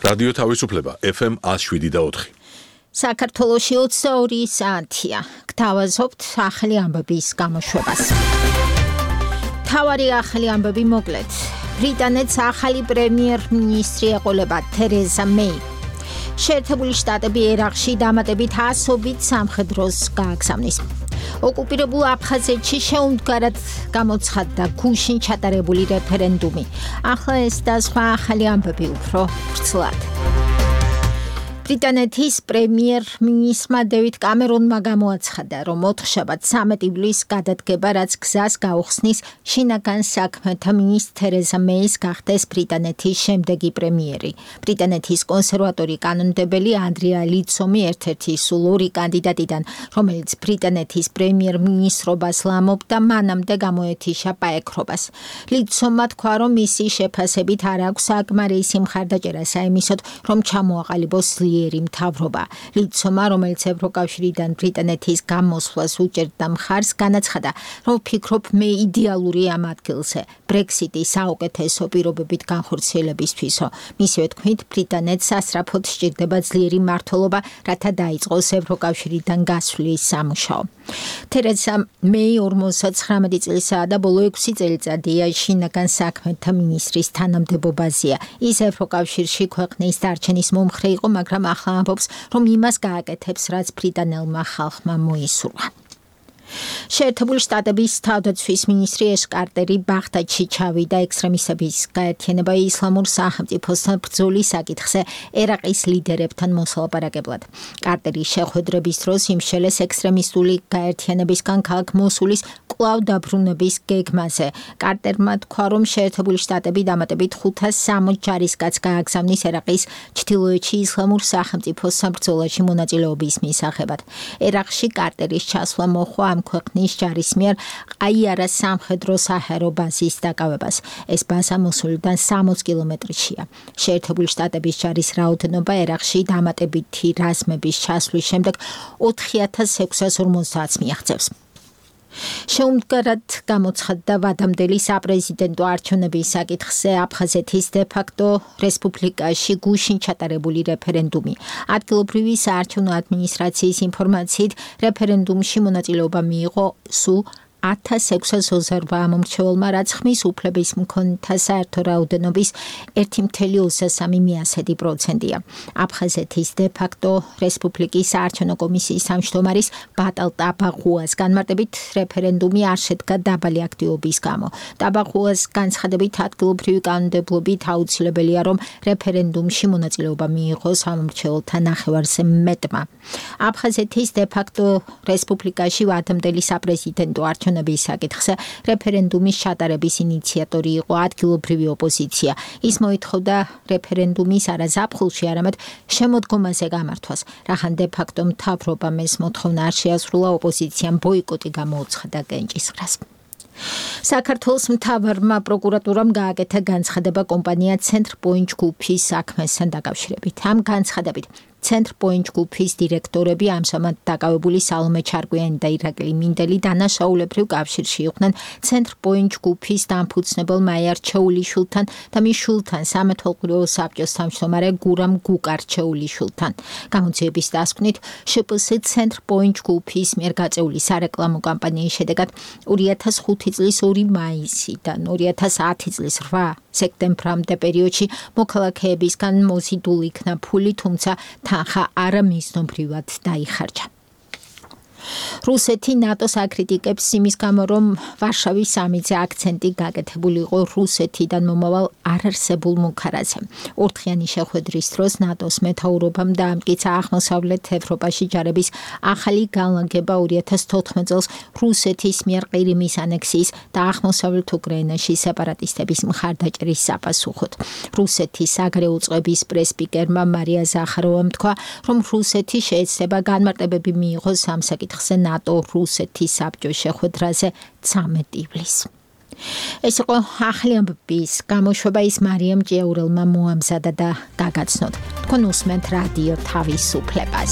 რადიო თავისუფლება FM 107.4. საქართველოში 22 საათია. გთავაზობთ ახალი ამბების გამოშვებას. თავარი ახალი ამბები მოკლედ. ბრიტანეთს ახალი პრემიერ-მინისტრი ეყოლება თერეზა მეი. შეერთებული შტატები ერაყში დამატებით 100-ობით სამხედროს გააგზავნის. ოკუპირებულ აფხაზეთში შეუმდგარად გამოცხადდა გუშინ ჩატარებული რეფერენდუმი. ახლა ეს და სხვა ახალი ამბები უფრო ვრცლად. ბრიტანეთის პრემიერ-მინისტრმა დევიდ კამერონმა გამოაცხადა, რომ ოთხშაბათ 13 ივლისს გადადგება, რაც გზას გაუხსნის შინაგან საქმეთა მინისტრ თერეზა მეის გახდეს ბრიტანეთის შემდეგი პრემიერი. ბრიტანეთის კონსერვატორი კანონმდებელი ანდრია ლიცომი ერთ-ერთი სულ ორი კანდიდატიდან, რომელიც ბრიტანეთის პრემიერ-მინისტრობას ლამობდა, მანამდე გამოეთიშა პაექრობას. ლიცომმა თქვა, რომ მისი შეფასებით არ აქვს საკმარისი სიმხარდაჭერა საიმისოდ, რომ ჩამოაყალიბოს მთავრობა. ლიცომა, რომელიც ევროკავშირიდან ბრიტანეთის გამოსვლას უჭერდა მხარს, განაცხადა, რომ ფიქრობ მე იდეალური ამ ადგილზე, ბრექსიტი საუკეთესო პირობებით განხორციელებისთვისო. მისივე თქმით, ბრიტანეთს სასწრაფოდ სჭირდება ძლიერი მმართველობა, რათა დაიწყოს ევროკავშირიდან გასვლის სამუშაო. თერეზა მეი 59 წელისაა და ბოლო 6 წელიწადია შინაგან საქმეთა მინისტრის თანამდებობაზეა. ის ევროკავშირში ქვეყნის დარჩენის მომხრე იყო, მაგრამ ახლა ამბობს, რომ იმას გააკეთებს, რაც ბრიტანელმა ხალხმა მოისურვა. შეერთებული შტატების თავდაცვის მინისტრი ეშ კარტერი ბაღდადში ჩავიდა ექსტრემისტების გაერთიანება ისლამურ სახელმწიფოსთან ბრძოლის საკითხზე ერაყის ლიდერებთან მოსალაპარაკებლად. კარტერი შეხვედრების დროს იმშელეს ექსტრემისტული გაერთიანებისგან ქალაქ მოსულის კვლავ დაბრუნების გეგმაზე. კარტერმა თქვა, რომ შეერთებული შტატები დამატებით 560 ჯარისკაცს გააგზავნის ერაყის ჩრდილოეთში ისლამურ სახელმწიფოს საბრძოლაში მონაწილეობის მისაღებად. ერაყში კარტერის ჩასვლა მოჰყვა ამ ქვეყნის ჯარის მიერ ყაიარას სამხედრო საჰაერო ბაზის დაკავებას. ეს ბაზა მოსულიდან 60 კილომეტრშია. შეერთებული შტატების ჯარის რაოდენობა ერაყში დამატებითი რაზმების ჩასვლის შემდეგ 4650 მიაღწევს. შეუმდგარად გამოცხადდა ვადამდელი საპრეზიდენტო არჩევნების საკითხზე აფხაზეთის დე-ფაქტო რესპუბლიკაში გუშინ ჩატარებული რეფერენდუმი. ადგილობრივი საარჩევნო ადმინისტრაციის ინფორმაციით, რეფერენდუმში მონაწილეობა მიიღო სულ 1628 მომრჩეველმა, რაც ხმის უფლების მქონეთა საერთო რაოდენობის 1,23%-ია. აფხაზეთის დე-ფაქტო რესპუბლიკის საარჩევნო კომისიის თავმჯდომარის ბატალ ტაბაღუას განმარტებით, რეფერენდუმი არ შედგა დაბალი აქტივობის გამო. ტაბაღუას განცხადებით, ადგილობრივი კანონმდებლობით აუცილებელია, რომ რეფერენდუმში მონაწილეობა მიიღოს ამომრჩეველთა ნახევარზე მეტმა. აფხაზეთის დე-ფაქტო რესპუბლიკაში ვადამდელი საპრეზიდენტო არჩევნების საკითხზე რეფერენდუმის ჩატარების ინიციატორი იყო ადგილობრივი ოპოზიცია. ის მოითხოვდა რეფერენდუმის არა ზაფხულში, არამედ შემოდგომაზე გამართვას. რახან დე-ფაქტო მთავრობამ ეს მოთხოვნა არ შეასრულა, ოპოზიციამ ბოიკოტი გამოუცხადა კენჭისყრას. საქართველოს მთავარმა პროკურატურამ გააკეთა განცხადება კომპანია ცენტრპოინტ ჯგუფის საქმესთან დაკავშირებით. ამ განცხადებით ცენტრპოინტ ჯგუფის დირექტორები ამჟამად დაკავებული სალომე ჩარკვიანი და ირაკლი მინდელი დანაშაულებრივ კავშირში იყვნენ ცენტრპოინტ ჯგუფის დამფუძნებელ მაიარ ჩეულიშვილთან და მის შვილთან, სამეთვალყურეო საბჭოს თავმჯდომარე გურამ გუკარჩეულიშვილთან. გამოძიების დასკვნით, შპს ცენტრპოინტ ჯგუფის მიერ გაწეული სარეკლამო კამპანიის შედეგად 2005 წლის 2 მაისიდან 2010 წლის 8 სექტემბრამდე პერიოდში მოქალაქეებისგან მოზიდული იქნა ფული, თუმცა თანხა არა მიზნობრივად დაიხარჯა. რუსეთი ნატოს აკრიტიკებს იმის გამო, რომ ვარშავის სამიტზე აქცენტი გაკეთებული იყო რუსეთიდან მომავალ არარსებულ მუქარაზე. ორდღიანი შეხვედრის დროს ნატოს მეთაურობამ დაამტკიცა აღმოსავლეთ ევროპაში ჯარების ახალი განლაგება 2014 წელს რუსეთის მიერ ყირიმის ანექსიის და აღმოსავლეთ უკრაინაში სეპარატისტების მხარდაჭერის საპასუხოდ. რუსეთის საგარეო წყების პრესპიკერმა მარია ზახაროვამ თქვა, რომ რუსეთი შეეცდება განმარტებები მიიღოს ამ საკითხზე ნატო-რუსეთის საბჭოს შეხვედრაზე 13 ივლისს. ეს იყო ახალი ამბების გამოშვება, ის მარიამ ჭიაურელმა მოამზადა და გაგაცნოთ. თქვენ უსმენთ რადიო თავისუფლებას.